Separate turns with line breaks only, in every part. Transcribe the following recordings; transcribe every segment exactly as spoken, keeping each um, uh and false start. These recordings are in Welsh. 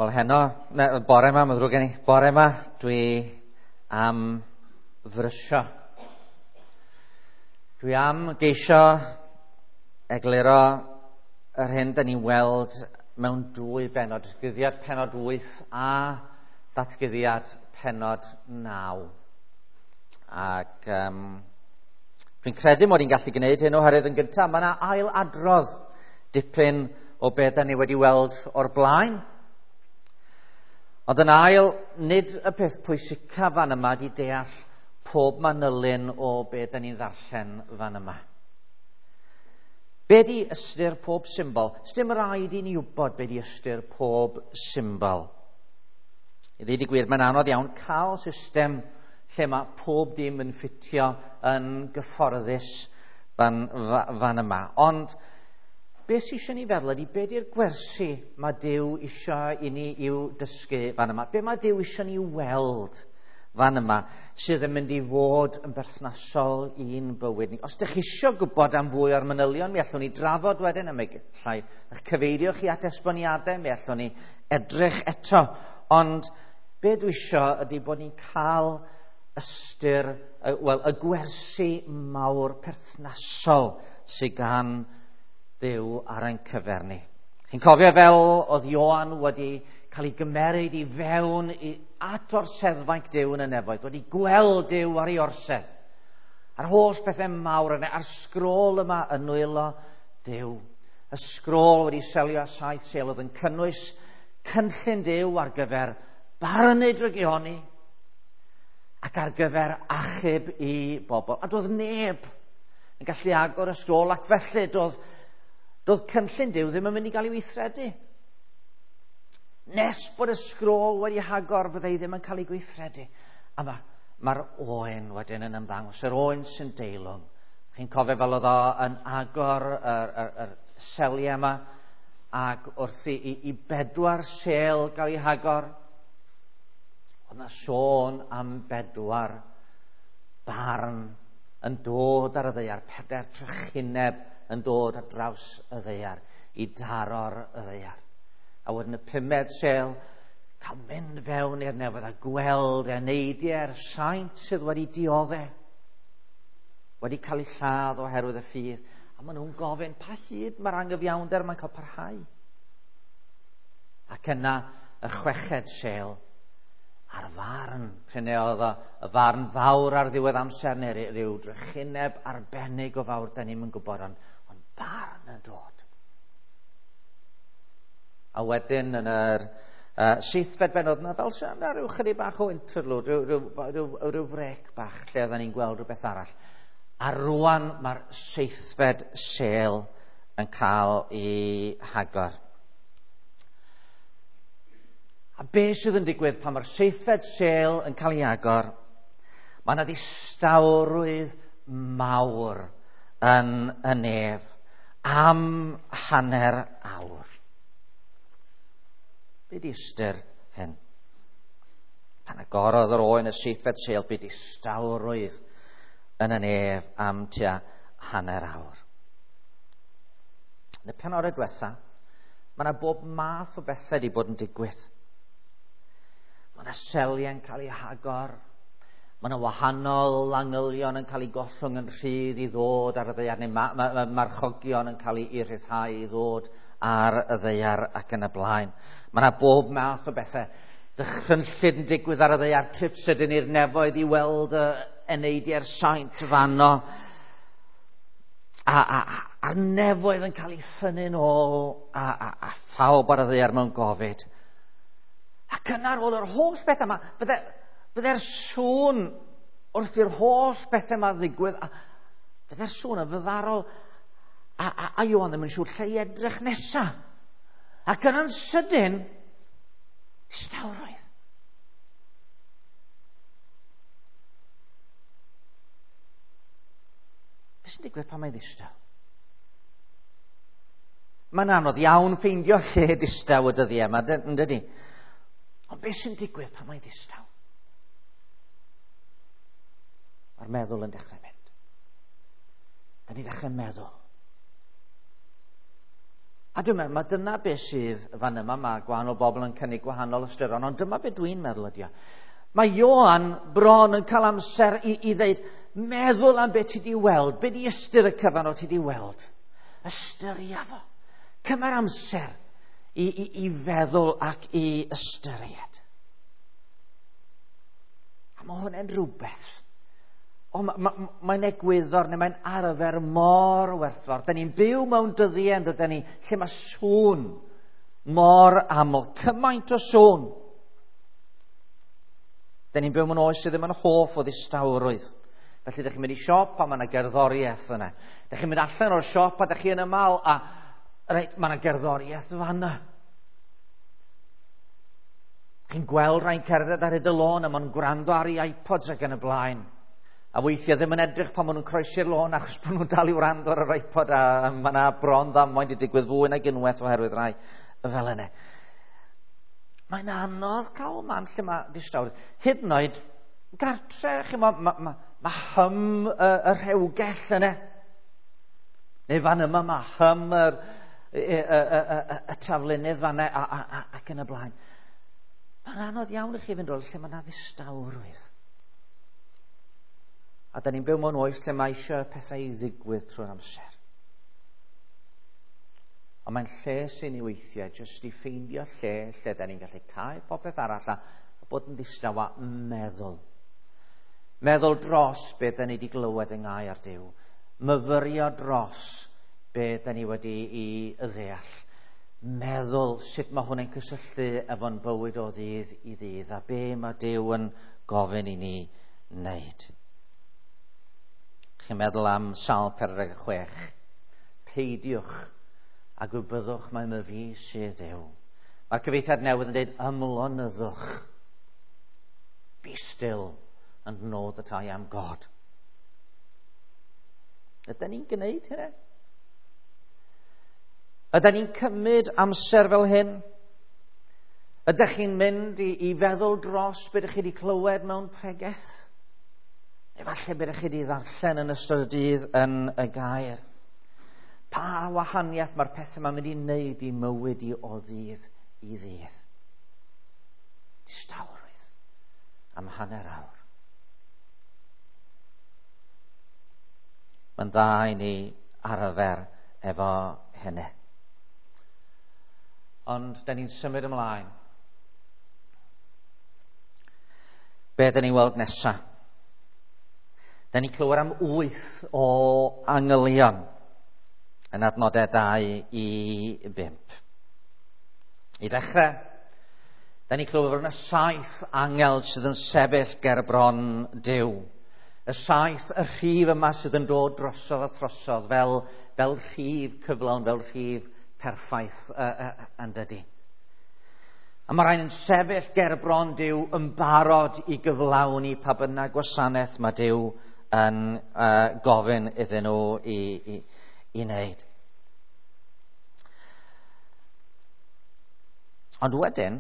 Wel heno, ne, bore yma, mae'n ddrwg gen i, bore yma dwi am frysio. Dwi am geisio egluro yr hyn da ni'n weld mewn dwy bennod, datguddiad pennod wyth a datguddiad pennod naw. Ac um, dwi'n credu mod i'n gallu gwneud hyn oherwydd yn gyntaf, mae yna ail adrodd dipyn o beth da ni wedi weld o'r blaen. Ond yn ail, nid y peth pwysica fan yma di deall pob manylyn o be da ni'n ddarllen fan yma. Be di ystyr pob symbol? Sdim rhaid i ni wybod be di ystyr pob symbol. I ddweud y gwir, mae'n anodd iawn cael system lle mae pob dim yn ffitio yn gyfforddus fan, fan yma. Ond beth sydd eisiau ni feddwl ydy, be di'r gwersi mae Duw eisiau i ni i'w dysgu fan yma? Be mae Duw eisiau ni weld fan yma sydd yn mynd i fod yn berthnasol i'n bywyd ni? Os ydych chi eisiau gwybod am fwy o'r manylion, mi allwn ni drafod wedyn, a mi allai eich cyfeirio chi at esboniadau, mi allwn ni edrych eto. Ond be dwi eisiau ydy bod ni'n cael ystyr, wel, y gwersi mawr perthnasol sydd gan Dduw ar ein cyfer ni. Chi'n cofio fel oedd Ioan wedi cael ei gymeryd i fewn i, at orseddfainc Duw yn y nefoedd, wedi gweld Duw ar ei orsedd. A'r holl bethau mawr yna, a'r sgrôl yma yn nwylo Duw. Y sgrôl wedi selio saith sêl oedd yn cynnwys cynllun Duw ar gyfer barnu drygioni ac ar gyfer achub i bobl. A doedd neb yn gallu agor y sgrôl, ac felly doedd Doedd cynllun Duw ddim yn mynd i gael ei weithredu. Nes bod y sgrôl wedi hagor, fyddai ddim yn cael ei gweithredu. A mae'r ma oen wedyn yn ymddangos, yr oen sy'n deilwng. Chi'n cofio fel oedd o yn agor yr, yr, yr seliau yma, ac wrth i, i, i bedwar sel gael ei hagor, oedd yna sôn am bedwar barn yn dod ar y ddaear, pedair trychineb yn dod ar draws y ddaear, i daro'r y ddaear. A wedyn y pumed sel, cael mynd fewn i'r nefoedd a gweld eneidiau'r saint sydd wedi dioddef, wedi cael eu lladd oherwydd y ffydd. A maen nhw'n gofyn, pa hyd mae'r angyfiawnder mae'n cael parhau? Ac yna y chweched sel, a'r farn, prin oedd o, y farn fawr ar ddiwedd amser, neu rhyw drychineb arbennig o fawr, da ni'm yn gwybod, ond, ond barn yn dod. A wedyn yn yr uh, seithfed bennod yna, fel sy'n yna rhyw chydig bach o interlude, rhyw, rhyw, rhyw, rhyw frec bach lle oedden ni'n gweld rhywbeth arall. A rwan mae'r seithfed sêl yn cael ei hagor. A be sydd yn digwydd pan mae'r seithfed sêl yn cael ei agor? Mae yna ddistawrwydd mawr yn y nef am hanner awr. Be di ystyr hyn? Pan agorodd yr oen y seithfed sêl, be distawrwydd yn y nef am tua hanner awr. Yn y penodau diwetha, mae yna bob math o bethau wedi bod yn digwydd. Mae yna seliau'n cael eu hagor, mae yna wahanol angylion yn cael eu gollwng yn rhydd i ddod ar y ddaear, neu ma- ma- ma- marchogion yn cael eu rhyddhau i ddod ar y ddaear ac yn y blaen. Mae yna bob math o bethau dychrynllyd yn digwydd ar y ddaear, trip sydyn i'r nefoedd i weld y eneidiau'r saint fanno, a, a, a, a'r nefoedd yn cael eu thynnu'n ôl, a, a, a phawb ar y ddaear mewn gofid. Ac yna ar ôl yr holl bethau yma, bydde, bydde'r sŵn wrth i'r holl bethau yma ddigwydd, a bydde'r sŵn yn fyddarol, a, a, a Ioan ddim yn siŵr lle i edrych nesa. Ac yna'n sydyn, distawrwydd. Beth sy'n digwydd pan mae'n ddistaw? Mae'n anodd iawn ffeindio lle distaw y dyddiau yma, yn dydi? Ond beth sy'n digwydd pan mae'n ddistaw? Mae'r meddwl yn dechrau mynd. Da ni'n dechrau meddwl. A dwi'n meddwl, mae dyna beth sydd fan yma, mae gwahanol bobl yn cynnig gwahanol ystyron, ond dyma beth dwi'n meddwl ydi o. Mae Ioan bron yn cael amser i, i ddeud, meddwl am beth ti di weld, beth di ystyr y cyfan o ti di weld. Ystyria fo. Cymer amser i, i, i feddwl ac i ystyried. A mae hwnna'n rhywbeth. O, ma, ma, mae'n egwyddor neu mae'n arfer mor werthfawr. Da ni'n byw mewn dyddiau, yn ni, lle mae sŵn mor aml, cymaint o sŵn. Da ni'n byw mewn oes sydd ddim yn hoff o ddistawrwydd. Felly, ydych chi'n mynd i siop a mae yna gerddoriaeth yna. Ydych chi'n mynd allan o'r siop a ydych chi yn ymal a reit, mae yna gerddoriaeth fanna. Chi'n gweld rhai'n cerdded ar hyd y lôn a maen nhw'n gwrando ar ei iPods ac yn y blaen. A weithiau ddim yn edrych pan maen nhw'n croesi'r lôn achos bod nhw'n dal i wrando ar yr iPod a mae yna bron ddamwain wedi digwydd fwy nag unwaith oherwydd rai fel yna. Mae'n anodd cael man lle mae distawrwydd. Hyd yn oed gartre, chi, mae ma, ma, ma hym y, y rhewgell yna. Neu fan yma mae hym yr, y, y, y, y, y taflunydd fan yna a, a, a, ac yn y blaen. Mae'n anodd iawn i chi fynd rôl lle mae yna ddistawrwydd. A da ni'n byw mewn oes lle mae eisiau pethau i ddigwydd trwy'r amser. Ond mae'n lle sy'n ei weithiau, jyst i ffeindio lle lle da ni'n gallu cael popeth arall a, a bod yn ddistaw a meddwl. Meddwl dros be da ni wedi glywed yng ngair Duw. Myfyrio dros be da ni wedi i ddeall. Meddwl sut mae hwn yn cysylltu efo'n bywyd o ddydd i ddydd a be mae Duw yn gofyn i ni wneud. Chi'n meddwl am Salm pedwar deg chwech. Peidiwch a gwybyddwch mai my fi sydd Dduw. Mae'r cyfieithiad newydd yn dweud ymlonyddwch. Be still and know that I am God. Ydyn ni'n gwneud hynny? Ydyn ni'n cymryd amser fel hyn? Ydych chi'n mynd i, i feddwl dros beth ydych chi wedi clywed mewn pregeth? Neu falle beth ydych chi wedi ddarllen yn ystod y dydd yn y gair? Pa wahaniaeth mae'r pethau yma'n mynd i wneud i mywyd i o ddydd i ddydd? Distawrwydd am hanner awr. Mae'n dda i ni arfer efo hynny. Ond da ni'n symud ymlaen. Be da ni'n weld nesa? Da ni'n clywed am wyth o angylion yn adnodau dau i bump. I ddechrau, da ni'n clywed fod yna saith angel sydd yn sefyll ger bron Duw. Y saith, y rhif yma sydd yn dod drosodd a throsodd fel, fel rhif cyflawn, fel rhif perffaith uh, uh, yn dydi. A mae rhain yn sefyll ger bron Duw yn barod i gyflawni pa bynnag gwasanaeth mae Duw yn uh, gofyn iddyn nhw i, i, i wneud. Ond wedyn,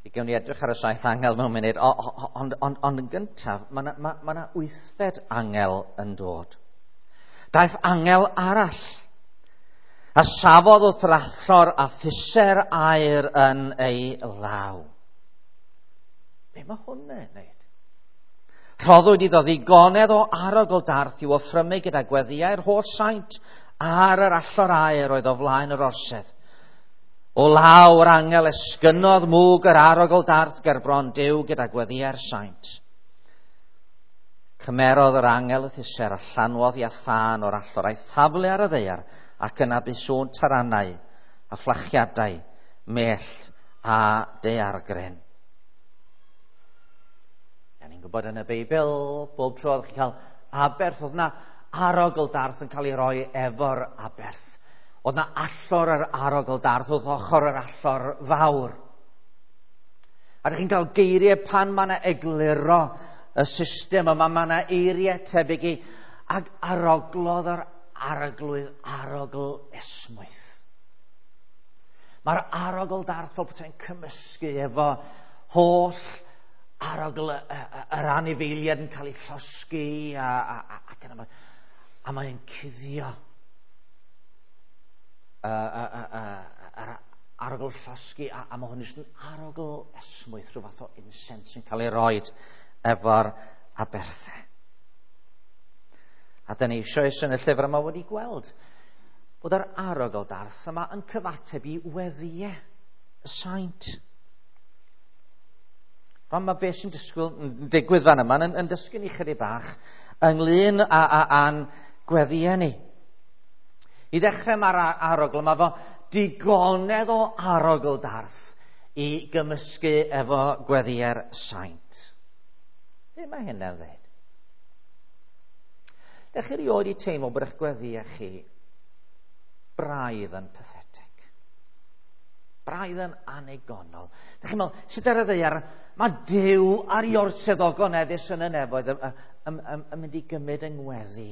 i gewn ni edrych ar y saith angel mewn munud, ond, ond, ond yn gyntaf, mae yna ma, ma wythfed angel yn dod. Daeth angel arall, a safodd wrth yr allor a thuser aer yn ei law. Be mae hwn yn wneud? Rhoddwyd iddo ddigonedd o arogl darth i'w offrymu gyda gweddïau'r holl saint ar yr allor aer oedd o flaen yr orsedd. O law yr angel esgynodd mwg yr arogl darth gerbron Duw gyda gweddïau'r saint. Cymerodd yr angel y thuser a llanwodd i a thân o'r allor a'i thaflu ar y ddaear ac yna bu sŵn taranau a fflachiadau, mellt a daeargryn. Da ni'n gwybod yn y Beibl, bob tro oedd chi'n cael aberth, oedd yna arogl darth yn cael ei roi efo'r aberth. Oedd yna allor yr arogl darth, oedd ochr yr allor fawr. A ydych chi'n cael geiriau pan mae yna egluro y system yma, mae yna eiriau tebyg i, ac aroglodd yr arglwydd arogl esmwyth. Mae'r arogl darth fel bod e'n cymysgu efo holl arogl yr anifeiliaid yn cael ei llosgi a, a, a, ac yna, a mae'n cuddio. uh, uh, uh, uh, arogl llosgi, a, a mae hwn jyst yn arogl esmwyth, rhyw fath o incense yn cael ei roed efo'r aberthau. A dyna eisoes yn y llyfr yma wedi gweld bod yr arogl darth yma yn cyfateb i weddïau y saint. Ond mae beth sy'n disgwyl, yn digwydd fan yma yn, yn dysgu ni chydig bach ynglyn â, â, â'n gweddïau ni. I ddechrau mae'r arogl yma fo digonedd o arogl darth i gymysgu efo gweddïau'r saint. Be mae hynna'n ddweud? Dech chi erioed i teimlo bod eich gweddïau chi braidd yn pathetic? Braidd yn annigonol. Dech chi'n meddwl, sut ar y ddaear mae Duw ar ei orsedd ogoneddus yn y nefoedd yn, yn, yn, yn mynd i gymryd yng ngweddi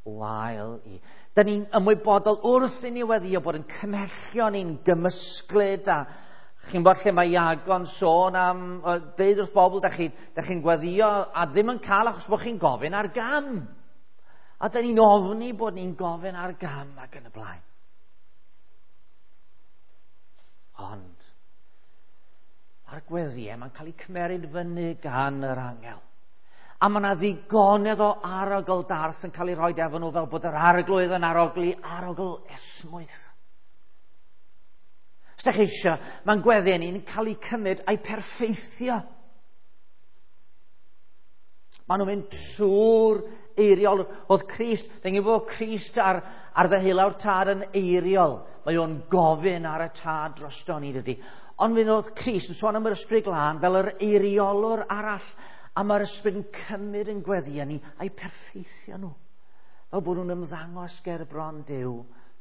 wael i. Da ni'n ymwybodol wrth i ni weddio bod yn cymhellion ni'n gymysglyd, a chi'n bod lle mae Iago'n sôn am deud wrth bobl, da chi'n chi gweddio a ddim yn cael achos bod chi'n gofyn ar gam. A da ni'n ofni bod ni'n gofyn ar gam ac yn y blaen. Ond mae'r gweddïau mae'n cael eu cymeryd fyny gan yr angel. A mae yna ddigonedd o arogl darth yn cael ei roi efo nhw fel bod yr arglwydd yn arogli arogl esmwyth. Os ydych chi eisiau, mae'n gweddïau ni'n cael eu cymryd a'i perffeithio. Maen nhw'n mynd trwy'r eiriol. Oedd Crist, dyn ni'n bod Crist ar, ar ddeheulaw'r tad yn eiriol. Mae o'n gofyn ar y tad drosto ni, dydy. Ond mi oedd Crist yn sôn am yr Ysbryd Glân fel yr eiriolwr arall. A mae'r Ysbryd yn cymryd yn gweddïau ni a'i perffeithio nhw. Fel bod nhw'n ymddangos ger bron Duw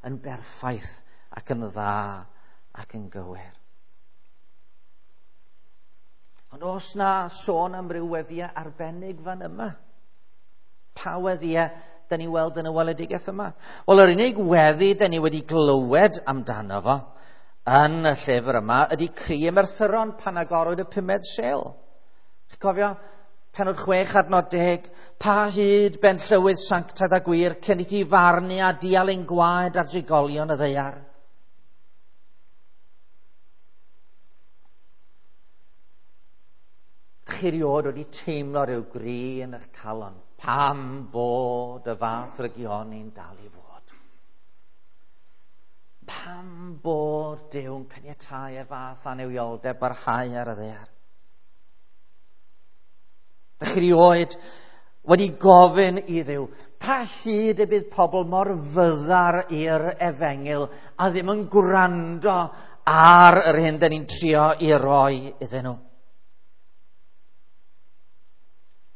yn berffaith ac yn dda ac yn gywir. Ond oes na sôn am ryw weddïau arbennig fan yma? Pa weddïau da ni weld yn y weledigaeth yma? Wel, yr unig weddi da ni wedi glywed amdano fo yn y llyfr yma ydy cri y merthyron pan agorwyd y pumed sêl. Chi'n cofio? Pennod chwech adnod deg. Pa hyd ben llywydd sanctaidd a gwir cyn i ti farnu a dial ein gwaed ar drigolion y ddaear? Chi erioed wedi teimlo rhyw gri yn eich calon pam bod y fath rygioni'n dal i fod? Pam bod Duw'n caniatáu y fath annuwioldeb barhau ar y ddaear? Dych chi erioed wedi gofyn i Dduw, pa hyd y bydd pobl mor fyddar i'r efengyl a ddim yn gwrando ar yr hyn dyn ni'n trio i roi iddyn nhw?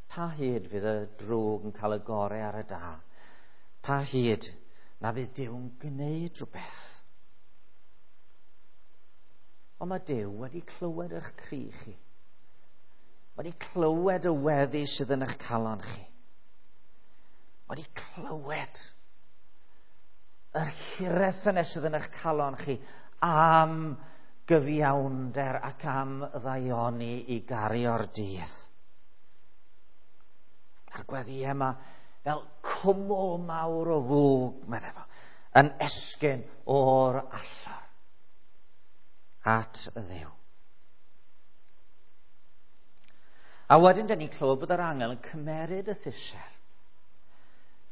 Pa hyd fydd y drwg yn cael y gorau ar y da? Pa hyd na fydd Duw'n gwneud rhywbeth? Ond mae Duw wedi clywed eich cri chi. Wedi clywed y weddi sydd yn eich calon chi. Wedi clywed yr hiraeth yna sydd yn eich calon chi am gyfiawnder ac am ddaioni i gario'r dydd. A'r gweddïau yma fel cwmwl mawr o fwg, meddai fo, yn esgyn o'r allor at Dduw. A wedyn dyn ni'n clywed bod yr angel yn cymeryd y thuser.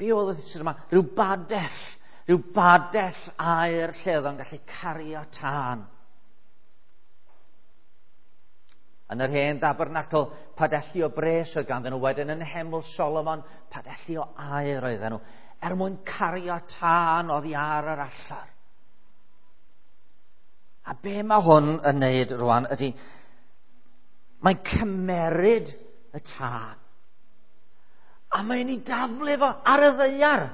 Be oedd y thuser yma? Rhyw badell, rhyw badell aer lle oedd o'n gallu cario tân. Yn yr hen dabernacl, padelli o bres oedd ganddyn nhw. Wedyn yn Nheml Solomon, padelli o aer oedden nhw, er mwyn cario tân oddi ar yr allor. A be mae hwn yn neud rwan ydy, mae'n cymeryd y tân a mae'n ei daflu fo ar y ddaear.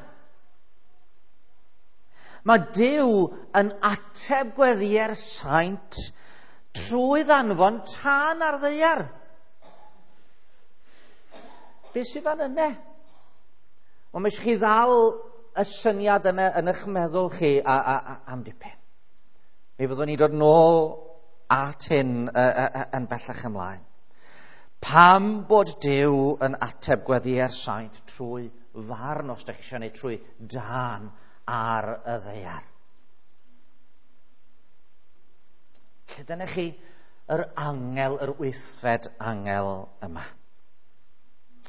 Mae Duw yn ateb gweddïau'r saint trwy ddanfon tân ar ddaear. Be sydd fan yna? Wel, mae eisiau chi ddal y syniad yna yn eich meddwl chi a, a, a, am dipyn. Mi fyddwn ni dod nôl at hyn uh, uh, yn bellach ymlaen. Pam bod Duw yn ateb gweddïau'r saint trwy farn, os ydych chi eisiau, neu trwy dân ar y ddaear? Felly dyna chi yr angel, yr wythfed angel yma.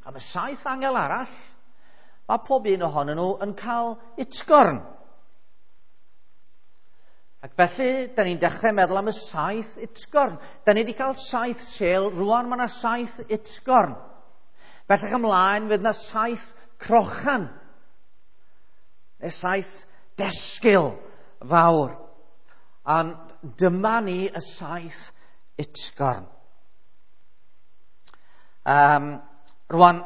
Am y saith angel arall, mae pob un ohonyn nhw yn cael utgorn. Ac felly, da ni'n dechrau meddwl am y saith utgorn. Da ni wedi cael saith sêl, rwan mae yna saith utgorn. Bellach ymlaen, fydd yna saith crochan, neu saith desgil fawr. Ond dyma ni y saith utgorn. Um, rwan,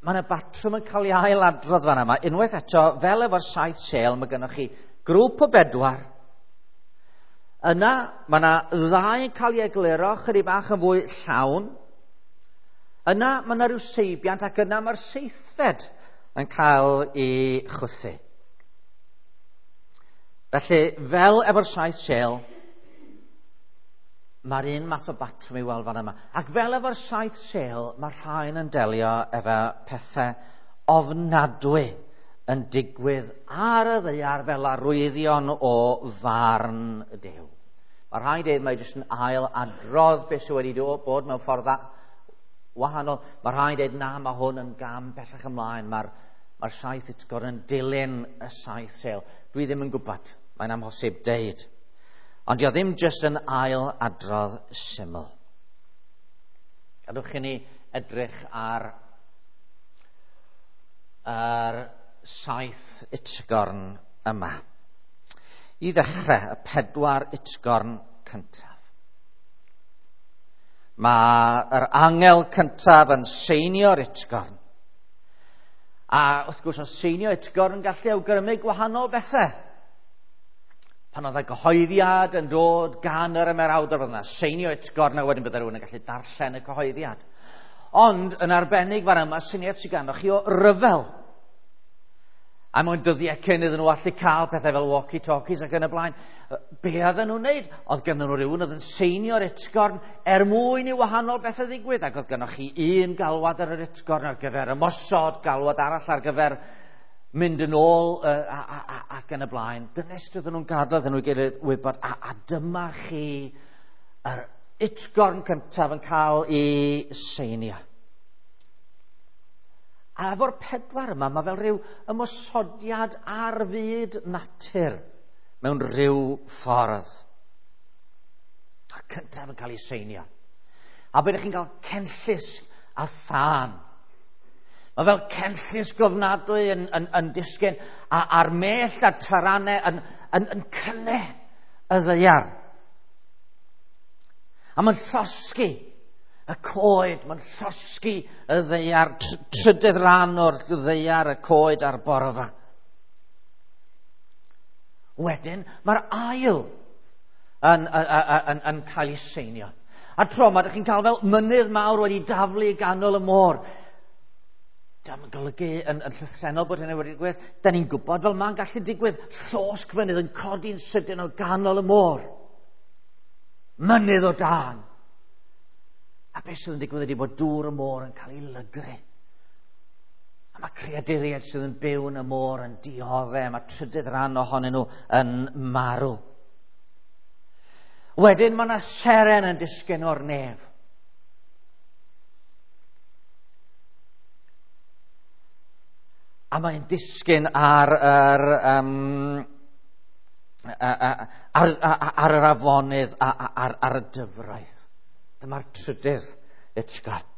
mae yna batrwm yn cael ei ailadrodd fan yma. Unwaith eto, fel efo'r saith sêl, mae gennych chi grŵp o bedwar. Yna, mae yna ddau yn cael ei egluro chydig bach yn fwy llawn. Yna, mae yna rhyw seibiant, ac yna mae'r seithfed yn cael ei chwythu. Felly, fel efo'r saith sêl, mae'r un math o batrwm i weld fan yma. Ac fel efo'r saith sêl, mae'r rhain yn delio efo pethau ofnadwy yn digwydd ar y ddaear fel arwyddion o farn Duw. Mae rhaid dweud mae jyst yn ail adrodd beth sydd wedi bod mewn ffordd wahanol. Mae rhaid dweud na, mae hwn yn gam bellach ymlaen. Mae'r mae saith utgorn yn dilyn y saith sêl. Dwi ddim yn gwybod. Mae'n amhosib deud. Ond dio ddim jyst yn ail adrodd syml. Gadwch i ni edrych ar yr saith utgorn yma. I ddechrau, y pedwar utgorn cyntaf. Mae'r angel cyntaf yn seinio'r utgorn. A wrth gwrs, o seinio utgorn yn gallu awgrymu gwahanol bethau. Pan oedd y gyhoeddiad yn dod gan yr ymerawdwr, oedd yna seinio utgorn a wedyn bydde rhywun yn gallu darllen y cyhoeddiad. Ond yn arbennig fan yma, syniad sydd ganddo chi o ryfel. A mewn dyddiau cyn iddyn nhw allu cael pethau fel walkie-talkies ac yn y blaen, be oedden nhw'n wneud? Oedd gennyn nhw rhywun oedd yn seinio'r utgorn er mwyn i wahanol bethau ddigwydd. Ac oedd gennych chi un galwad ar yr utgorn ar gyfer ymosod, galwad arall ar gyfer mynd yn ôl uh, a, a, a, ac yn y blaen. Dyna sut oedden nhw'n gadael iddyn nhw gilydd wybod, a, a dyma chi yr utgorn cyntaf yn cael ei seinio. A efo'r pedwar yma, mae fel rhyw ymosodiad ar fyd natur mewn rhyw ffordd. A'r cyntaf yn cael ei seinio. A byddwch chi'n cael cenllysg a thân. Mae fel cenllysg ofnadwy yn, yn, yn disgyn, a, a'r mellt a'r taranau yn, yn, yn cynnu y ddaear. A mae'n llosgi y coed, mae'n llosgi y ddaear, trydydd rhan o'r ddaear, y coed a'r borfa. Wedyn, mae'r ail yn, yn, yn, yn cael ei seinio. A tro yma, ydych chi'n cael fel mynydd mawr wedi daflu i ganol y môr. Dyma'n golygu yn, yn llythrennol bod hynny wedi digwydd. Da ni'n gwybod fel mae'n gallu digwydd. Llosg fynydd yn codi'n sydyn o ganol y môr. Mynydd o dân. A beth sydd yn digwydd ydy bod dŵr y môr yn cael ei lygru. A mae creaduriaid sydd yn byw yn y môr yn dioddef, mae trydydd rhan ohonyn nhw yn marw. Wedyn mae yna seren yn disgyn o'r nef. A mae'n disgyn ar yr, um, ar, ar, ar yr afonydd, ar, ar, ar y dyfroedd. Dyma'r trydydd utgorn.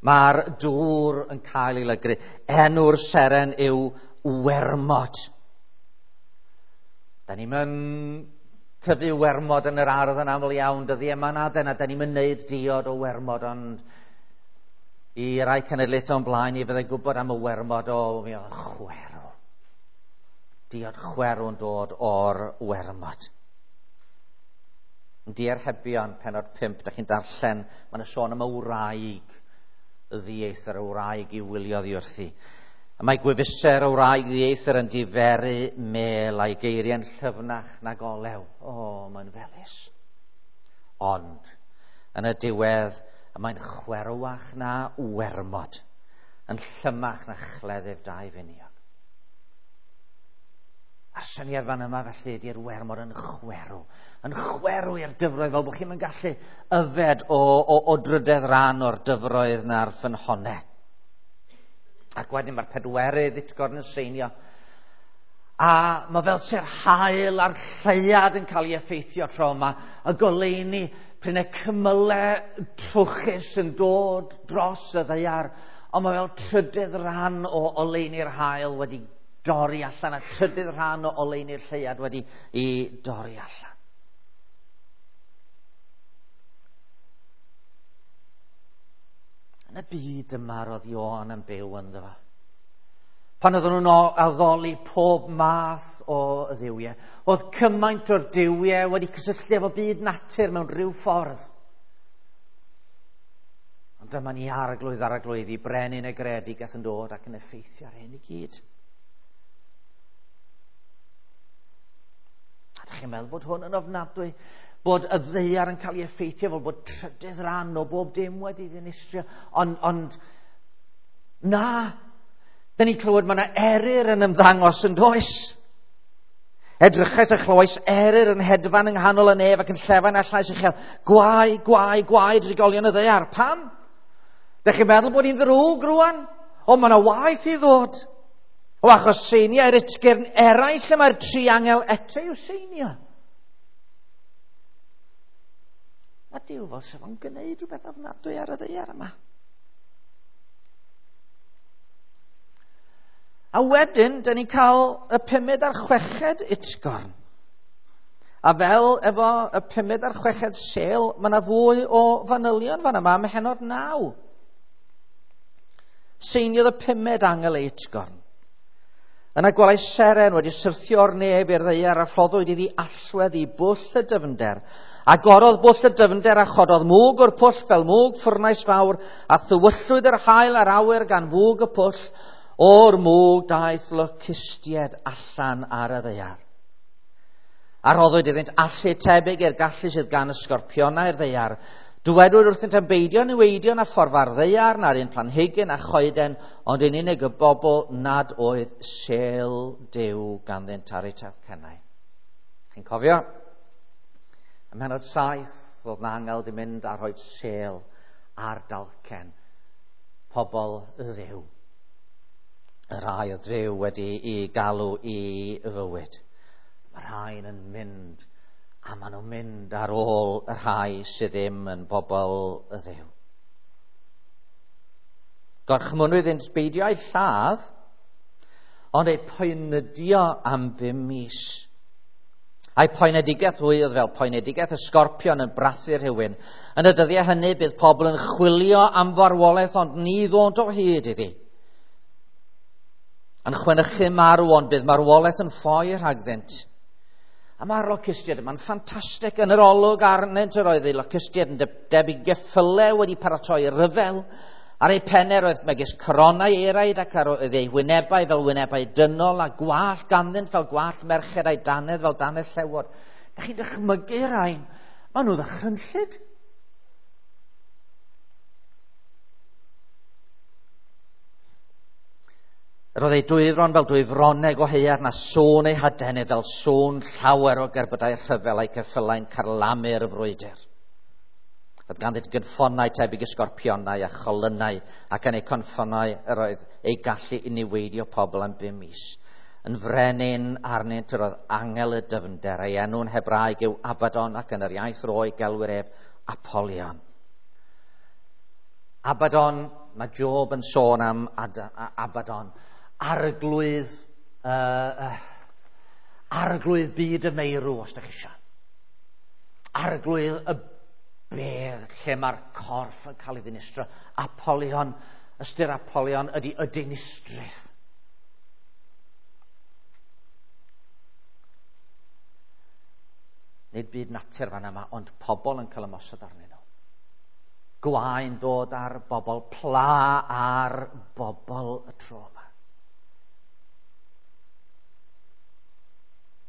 Mae'r dŵr yn cael ei lygru. Enw'r seren yw wermod. Da ni'n mynd tyfu wermod yn yr ardd yn aml iawn dyddiau yma na dyna. Da ni'n mynd wneud diod o wermod, ond i rai cenedlaethau o'n blaen i fyddai gwybod am y wermod o mi oedd chwerw. Diod chwerw yn dod o'r wermod. Diarhebion, pennod pump, da chi'n darllen, mae'n sôn am y wraig ddieithr, y wraig i wylio ddi wrthi. A mae gwefusau'r wraig ddieithr yn diferu mel a'i geiriau'n llyfnach nag olew. O, oh, mae'n felys. Ond, yn y diwedd, mae'n chwerwach na wermod, yn llymach na chleddyf dau finiog. A'r Syniad fan yma felly ydy'r wermod yn chwerw. Yn chwerw i'r dyfroedd fel bod chi'n mynd gallu yfed o, o, o drydedd ran o'r dyfroedd na'r ffynhonnau. Ac wedyn mae'r pedwerydd utgorn yn seinio. A mae fel se'r haul a'r lleuad yn cael ei effeithio tro yma. Y goleuni, prin y cymylau trwchus yn dod dros y ddaear. Ond mae fel trydydd rhan o oleuni'r haul wedi dorri allan a trydydd rhan o oleuni'r lleuad wedi i dorri allan. Yn y byd yma roedd Ioan yn byw ynddo fo. Pan oedden nhw'n addoli pob math o dduwiau, oedd cymaint o'r duwiau wedi cysylltu efo byd natur mewn rhyw ffordd. Ond dyma ni arglwydd arglwydd i brenin y greadigaeth yn dod ac yn effeithio ar hyn i gyd. A dych chi'n meddwl bod hwn yn ofnadwy? Bod y ddaear yn cael ei effeithio fel bod trydydd rhan o bob dim wedi ddinistrio. Ond, ond na, da ni'n clywed mae yna eryr yn ymddangos yn does. Edrychais a chlywais eryr yn hedfan yng nghanol y nef ac yn llefain â llais uchel. Gwae, gwae, gwae drigolion y ddaear. Pam? Dych chi'n meddwl bod hi'n ddrwg rwan? O, mae yna waeth i ddod. O, achos seiniau utgyrn eraill y mae'r tri angel eto i'w seinio. Mae Duw fel sef o'n gwneud rhywbeth ofnadwy ar y ddaear yma. A wedyn, dyn ni'n cael y pumed a'r chweched utgorn. A fel efo y pumed a'r chweched sêl, mae yna fwy o fanylion fan yma ym mhennod naw. Seiniodd y pumed angel ei utgorn. Yna gwelais seren wedi syrthio o'r nef i'r ddaear a rhoddwyd iddi allwedd i bwll y dyfnder. Agorodd bwll y dyfnder a chododd mwg o'r pwll fel mwg ffwrnais fawr a thywyllwyd yr haul a'r awyr gan fwg y pwll. O'r mwg daeth locustiaid allan ar y ddaear. A rhoddwyd iddynt allu tebyg i'r gallu sydd gan y sgorpionau i'r ddaear. Dywedwyd wrthynt am beidio niweidio na fforfa'r ddaear, na'r un planhigyn a choeden, ond yn unig y bobl nad oedd sêl Duw ganddynt ar eu talcennau. Chi'n cofio? Ym mhennod saith, oedd na angel di mynd a rhoi sêl ar dalcen pobl Dduw. Y rhai oedd Duw wedi i galw i fywyd. Mae rhain yn mynd, a maen nhw'n mynd ar ôl y rhai sydd ddim yn bobl y Dduw. Gorchmynnwyd iddynt beidio eu lladd, ond eu poenydio am bum mis. A'i poenedigaeth hwy oedd fel poenedigaeth y sgorpion yn brathu rhywun. Yn y dyddiau hynny bydd pobl yn chwilio am farwolaeth, ond ni ddod o hyd iddi. Yn chwenychu marw, ond bydd marwolaeth yn ffoi rhagddynt. A mae'r locustiaid yma'n ffantastig. Yn yr olwg arnynt yr oedd eu locustiaid yn debyg geffylau wedi paratoi ryfel. Ar eu pennau roedd megis coronau eraid ac ar oedd eu wynebau fel wynebau dynol a gwallt ganddynt fel gwallt merched a'i dannedd fel dannedd llewod. Da chi'n dychmygu rhain? Maen nhw ddychrynllyd. Roedd ei dwyfron fel dwyfroneg o haearn a sŵn ei hadenydd fel sŵn llawer o gerbydau rhyfel a'i ceffylau'n carlamu'r frwydr. Roedd ganddynt gynffonau tebyg i sgorpionau a cholynau ac yn eu cynffonau yr oedd eu gallu i niweidio pobl am bum mis. Yn frenin arnynt yr oedd angel y dyfnder, ei enw'n Hebraeg yw Abaddon ac yn yr iaith Roeg gelwir ef Apollyon. Abaddon, mae Job yn sôn am Ad- Abaddon. Arglwydd, uh, uh, arglwydd byd y meirw, os da chi eisiau. Arglwydd y bedd lle mae'r corff yn cael ei ddinistro. Apollyon, ystyr Apollyon ydy y dinistrydd. Nid byd natur fan yma, ond pobl yn cael ymosod arnyn nhw. Gwaen dod ar bobl, pla ar bobl y tro yma.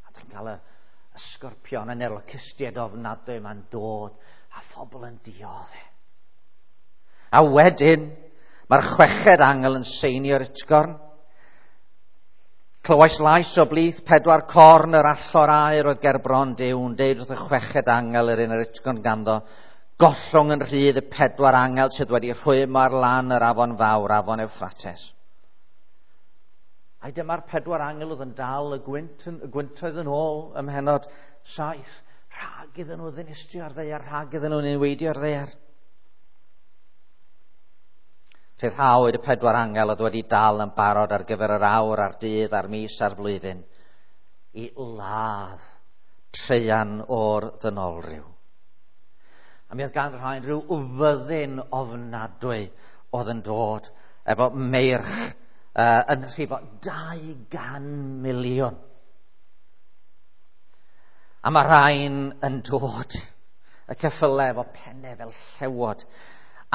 A dych chi'n cael y, y sgorpion yn yr locustiaid ofnadwy yma'n dod a phobl yn dioddef. A wedyn, mae'r chweched angel yn seinio'r utgorn. Clywais lais o blith pedwar corn yr allor aur oedd ger bron Duw yn deud wrth y chweched angel yr un yr utgorn ganddo, gollwng yn rhydd y pedwar angel sydd wedi rhwymo ar lan yr afon fawr, afon Ewffrates. Ai dyma'r pedwar angel oedd yn dal y gwynt, y gwyntoedd yn ôl ym mhennod saith, rhag iddyn nhw ddinistrio'r ddaear, rhag iddyn nhw niweidio'r ddaear. Rhyddhawyd y pedwar angel oedd wedi dal yn barod ar gyfer yr awr, a'r dydd, a'r mis, a'r flwyddyn, i ladd traean o'r ddynolryw. A mi oedd gan rhain rhyw fyddin ofnadwy oedd yn dod efo meirch uh, yn rhifo dau gan miliwn. A mae rhain yn dod y ceffylau efo pennau fel llewod,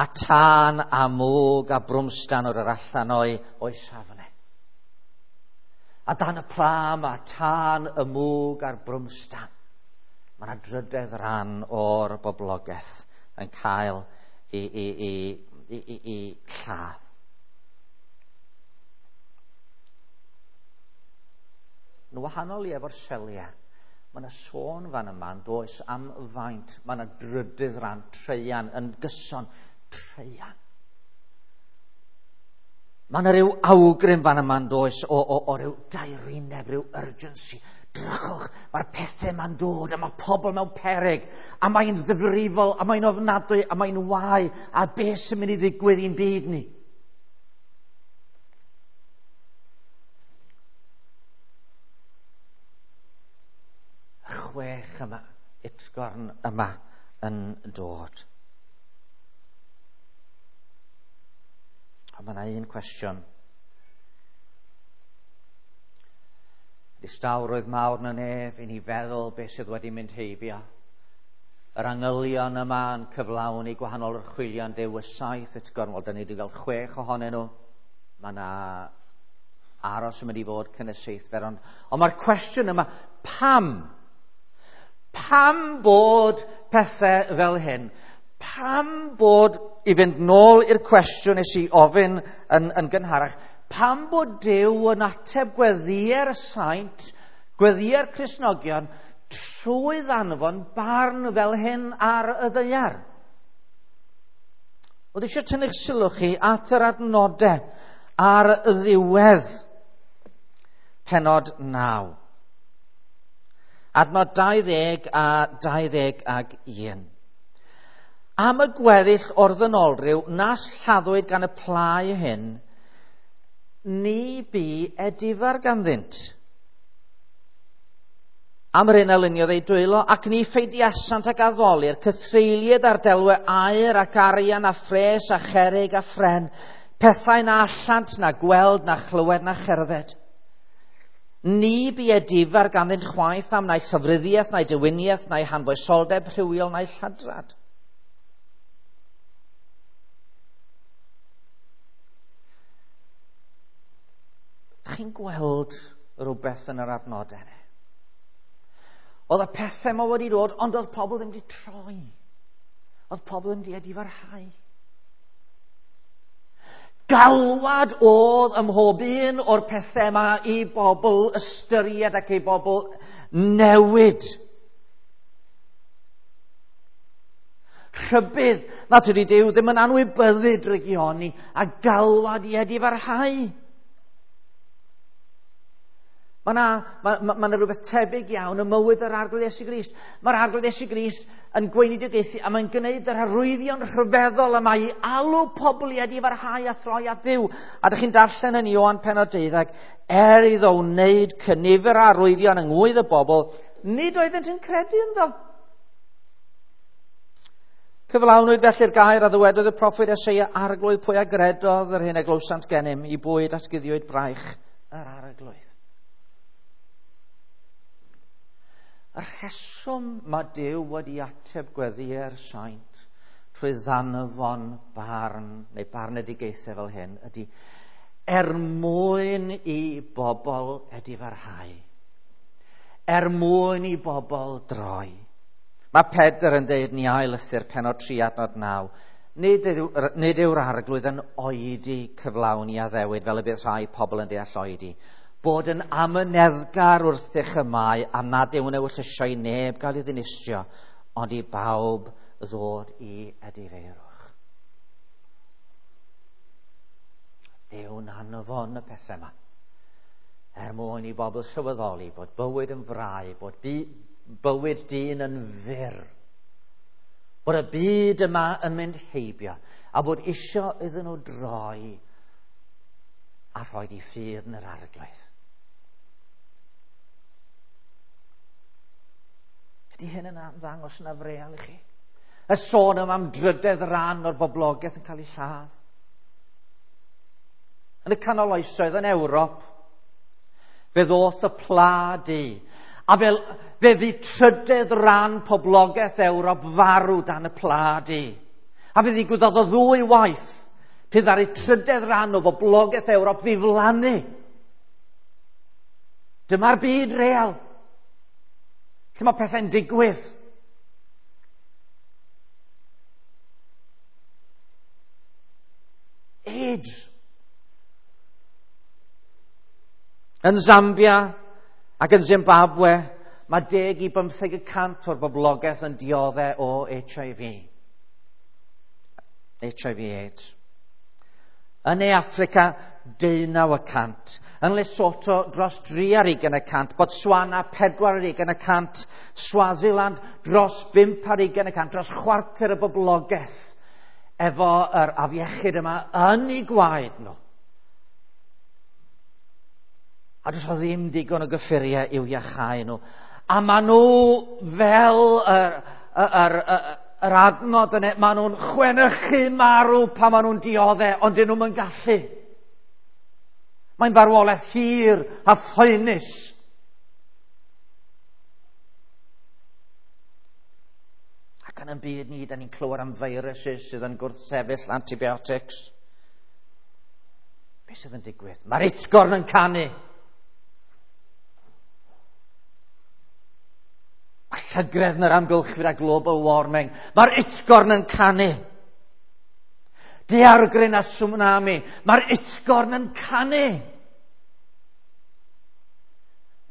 a tân a mwg a brwmstan o'r allan o'i, o'i safle. A dan y pla mae tân, y mwg a'r brwmstan. Mae yna drydedd ran o'r boblogaeth yn cael i, i, i, i, i, i lladd. Yn wahanol i efo'r seliau, mae yna sôn fan yma yn does am faint. Mae yna drydydd ran, traean, yn gyson, traean. Mae yna ryw awgrym fan yma'n does o, o, o ryw daerineb, ryw urgency. Drychwch, mae'r pethau yma'n dod, a mae pobl mewn peryg, a mae'n ddifrifol, a mae'n ofnadwy, a mae'n wae, a beth sy'n mynd i ddigwydd i'n byd ni? Y chwech yma, utgorn yma yn dod. Ond mae yna un cwestiwn. Distawrwydd mawr yn y nef i ni feddwl beth sydd wedi mynd heibio. Yr angylion yma yn cyflawni gwahanol orchwylion Duw, y saith utgorn. Wel, da ni wedi cael chwech ohonyn nhw. Mae yna aros yn mynd i fod cyn y seithfed. Ond, ond mae'r cwestiwn yma, pam? Pam bod pethau fel hyn? Pam bod, i fynd nôl i'r cwestiwn nes i ofyn yn, yn gynharach, pam bod Duw yn ateb gweddïau'r saint, gweddïau'r Cristnogion, trwy ddanfon barn fel hyn ar y ddaear? Oedd eisiau tynnu'ch sylw chi at yr adnodau ar y ddiwedd pennod naw. Adnod dau ddeg a dau ddeg ag un. Am y gweddill o'r ddynolryw nas lladdwyd gan y plau hyn, ni bu edifar ganddynt. Am yr hyn a luniodd eu dwylo, ac ni pheidiasant ag addoli'r cythreuliad ar delwau aur ac arian a phres a cherig a phren, pethau na allant na gweld na chlywed na cherdded. Ni bu edifar ganddynt chwaith am na'i llofruddiaeth, na'i dewiniaeth, na'i hanfoesoldeb rhywiol, na'i lladrad. Chi'n gweld rhywbeth yn yr adnodau yna? Oedd y pethau yma wedi dod, ond oedd pobl ddim wedi troi. Oedd pobl ddim wedi edifarhau. Galwad oedd ym mhob un o'r pethau yma i bobl ystyried ac i bobl newid. Rhybudd nad ydy Duw ddim yn anwybyddu drygioni a galwad i edifarhau. Mae yna ma, ma, ma rhywbeth tebyg iawn ym mywyd yr Arglwydd Iesu Grist. Mae'r Arglwydd Iesu Grist yn gweinidogaethu a mae'n gwneud yr arwyddion rhyfeddol yma i alw pobl i edifarhau a throi at Dduw. A dych chi'n darllen yn Ioan pennod deuddeg, er iddo wneud cynifer o arwyddion yng ngwydd y bobl, nid oeddent yn credu ynddo. Cyflawnwyd felly'r gair a ddywedodd y proffwyd Eseia, Arglwydd, pwy a gredodd yr hyn a glywsant gennym, i bwyd atguddiwyd braich yr Arglwydd. Y rheswm mae Duw wedi ateb gweddïau'r saint trwy ddanfon barn neu barnedigaethau fel hyn ydy er mwyn i bobl edifarhau, er mwyn i bobl droi. Mae Pedr yn dweud yn ei ail lythyr pennod tri adnod naw, nid, yw, nid yw'r Arglwydd yn oedi cyflawni addewid fel y bydd rhai pobl yn deall oedi. Bod yn amyneddgar wrthych y mae, am nad yw'n ewyllysio i neb gael ei ddinistrio, ond i bawb ddod i edifeirwch. Duw'n anfon y pethau yma, er mwyn i bobl sylweddoli bod bywyd yn frau, bod bywyd dyn yn fyr, bod y byd yma yn mynd heibio, a bod isio iddyn nhw droi a rhoi di ffydd yn yr Arglwydd. Ydy hyn yn ymddangos yn afreal i chi? Y sôn yma am drydedd ran o'r boblogaeth yn cael ei lladd. Yn y canol oesoedd yn Ewrop, fe ddoth y pla du, a fe, fe fu trydedd ran poblogaeth Ewrop farw dan y pla du. A fe ddigwyddodd o ddwy waith, pe ddaru trydedd ran o boblogaeth Ewrop ddiflannu. Dyma'r byd real, lle mae pethau'n digwydd. AIDS. Yn Zambia ac yn Zimbabwe, mae deg i bymtheg y cant o'r boblogaeth yn dioddef o H I V. H I V AIDS. Yn Ne Affrica, deunaw y cant. Yn Lesotho, dros dri ar ugain y cant. Botswana, pedwar ar ugain y cant. Swaziland, dros bump ar ugain y cant. Dros chwarter y boblogaeth efo yr afiechyd yma yn ei gwaed nhw. A does o ddim digon o gyffuriau i'w iachau nhw. A maen nhw fel yr, yr, yr, yr adnod yna, maen nhw'n chwenychu marw pan maen nhw'n dioddef, ond dyn nhw'm yn gallu. Mae'n farwolaeth hir a phoenus. Ac yn y byd ni, da ni'n clywed am viruses sydd yn gwrthsefyll antibiotics. Be sydd yn digwydd? Mae'r utgorn yn canu. Mae llygredd yn yr amgylchfyd a global warming. Mae'r utgorn yn canu. Daeargryn a tsunami. Mae'r utgorn yn canu.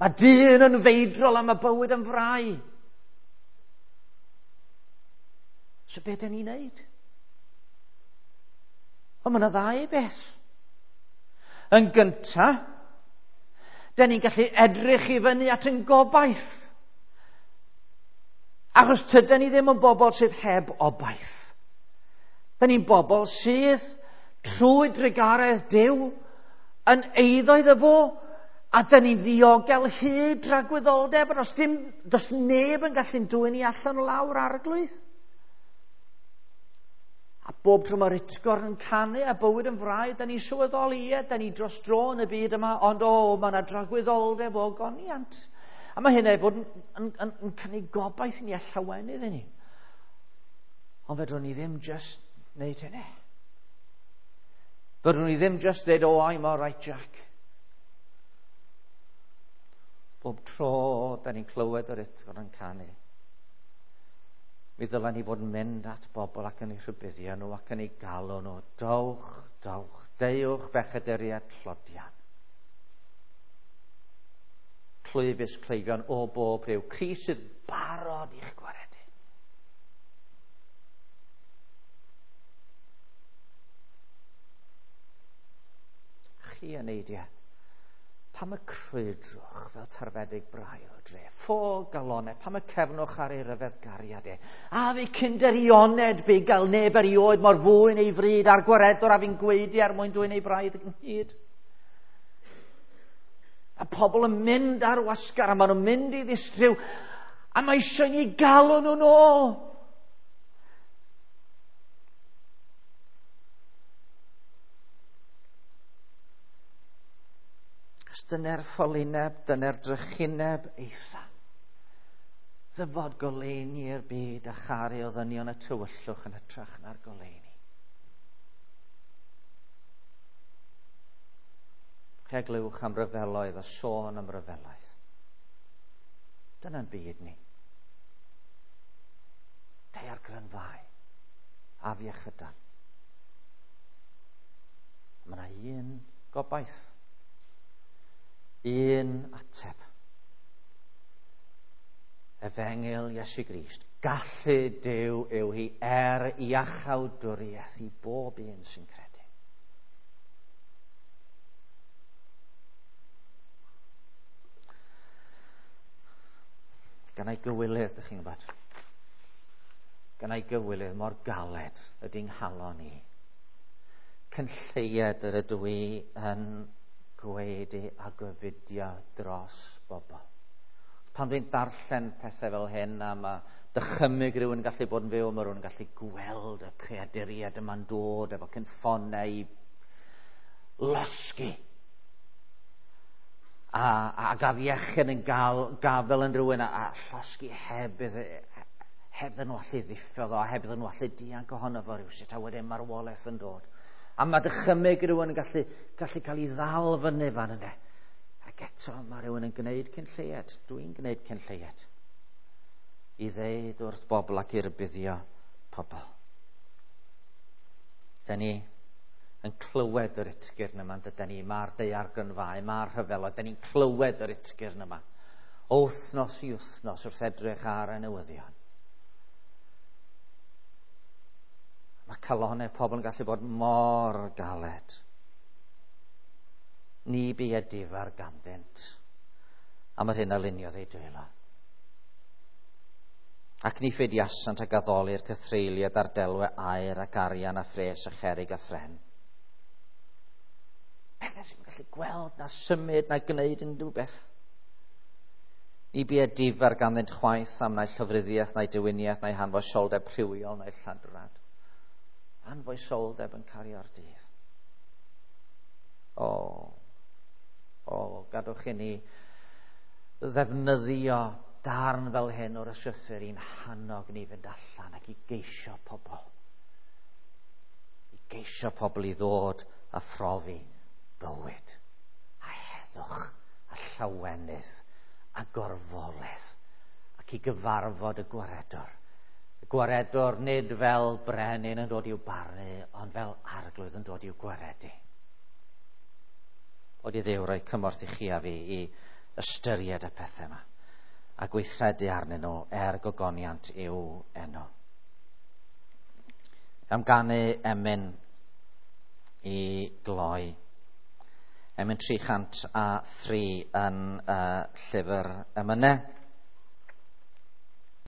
Mae dyn yn feidrol am y bywyd yn frau. So be dyn ni'n neud? Ond mae yna ddau beth. Yn gynta, dyn ni'n gallu edrych i fyny at yn gobaith. Achos tydyn ni ddim yn bobl sydd heb obaith. Dyn ni'n bobl sydd trwy drugaredd Duw yn eiddo iddo fo, a dyn ni'n ddiogel hyd dragwyddoldeb, a does dim, does neb yn gallu'n dwyn ni allan o lawr Arglwydd. A bob tro mae'r utgorn yn canu a bywyd yn frau, dyn ni'n sylweddoli, ie, dyn ni dros dro yn y byd yma, ond o, mae yna dragwyddoldeb o goniant. A mae hynna i fod yn, yn, yn, yn cynnig gobaith i ni a llawenydd i ni. Ond fedrwn ni ddim just wneud hynny. Fedrwn ni ddim just dweud, oh, I'm all right, Jack. Bob tro da ni'n clywed yr utgorn yn canu, mi ddylen ni fod yn mynd at bobl ac yn eu rhybuddio nhw ac yn eu galw nhw. Dowch, dowch, deuwch bechaduriaid tlodion. Clwyfus cleifion o bob rhyw. Crist sydd barod i'ch gwaredu. Chi yn eidiau, pam y crwydrwch fel tarfedig brau o dre? Ffo galonau, pam y cefnwch ar ei ryfedd gariad e? A fi cynderioned bugail neb erioed mor fwyn ei fryd a'r gwaredwr a fi'n gweidi er mwyn dwyn ei braidd ynghyd. A pobl yn mynd ar wasgar a maen nhw'n mynd i ddistryw a mae eisiau ni galw nhw'n ôl. Achos dyna'r ffolineb, dyna'r drychineb eitha. Ddyfod goleuni i'r byd a charu o ddynion y tywyllwch yn hytrach na'r goleuni. Chi glywch am ryfeloedd a sôn am ryfeloedd. Dyna'n byd ni. Daeargrynfau, afiechydan. Mae yna un gobaith. Un ateb. Efengyl Iesu Grist. Gallu Duw yw hi er iachawdwriaeth i bob un sy'n credu. Gan ei gywilydd, dych chi'n gwybod. Gan ei gywilydd mor galed ydy'n nghalon i. Cynlleied yr ydw i yn gweud a gofidio dros bobl. Pan dwi'n darllen pethau fel hyn, a mae dychymyg rhywun yn gallu bod yn fyw, mae rhywun yn gallu gweld y creaduriaid yma'n dod efo cynffonau i losgi. A, a gafiechyn yn gael, gafel yn rhywun a, a llosgi heb iddo, heb iddyn nhw allu ddiffodd o, heb iddyn nhw allu dianc ohono fo rywsut, a wedyn marwolaeth yn dod. A mae dychymyg rhywun yn gallu, gallu cael ei ddal fyny fan yna. Ac eto mae rhywun yn gwneud cyn lleied. Dwi'n gwneud cyn lleied. I ddeud wrth bobl ac i rybuddio pobl. Da ni yn clywed yr utgyrn yma, dydan ni, mae'r daeargrynfâu, mae'r rhyfeloedd, da ni'n clywed yr utgyrn yma. O wythnos i wythnos wrth edrych ar y newyddion. Mae calonnau pobl yn gallu bod mor galed. Ni bu edifar ganddynt am yr hyn a luniodd eu dwylo. Ac ni ffeidiasant ag addoli'r cythreuliad a'r delwe aur ac arian a phres a cherig a phren. Pethau sy'n gallu gweld na symud na gwneud unrhyw beth. Ni bu edifar ganddynt chwaith am na'i llofruddiaeth, na'i dewiniaeth, na'i hanfoesoldeb rhywiol, na'i lladrad. Anfoesoldeb yn cario'r dydd. O, o, gadwch i ni ddefnyddio darn fel hyn o'r ysgrythur i'n hannog ni fynd allan ac i geisio pobl. I geisio pobl i ddod a phrofi bywyd a heddwch a llawenydd a gorfoledd ac i gyfarfod y gwaredwr. Y gwaredwr nid fel brenin yn dod i'w barnu, ond fel arglwydd yn dod i'w gwaredu. Bod i Dduw roi cymorth i chi a fi i ystyried y pethau yma a gweithredu arnyn nhw er gogoniant i'w enw. Am ganu emyn i gloi. Emyn tri chant a thri yn uh, llyfr emynau.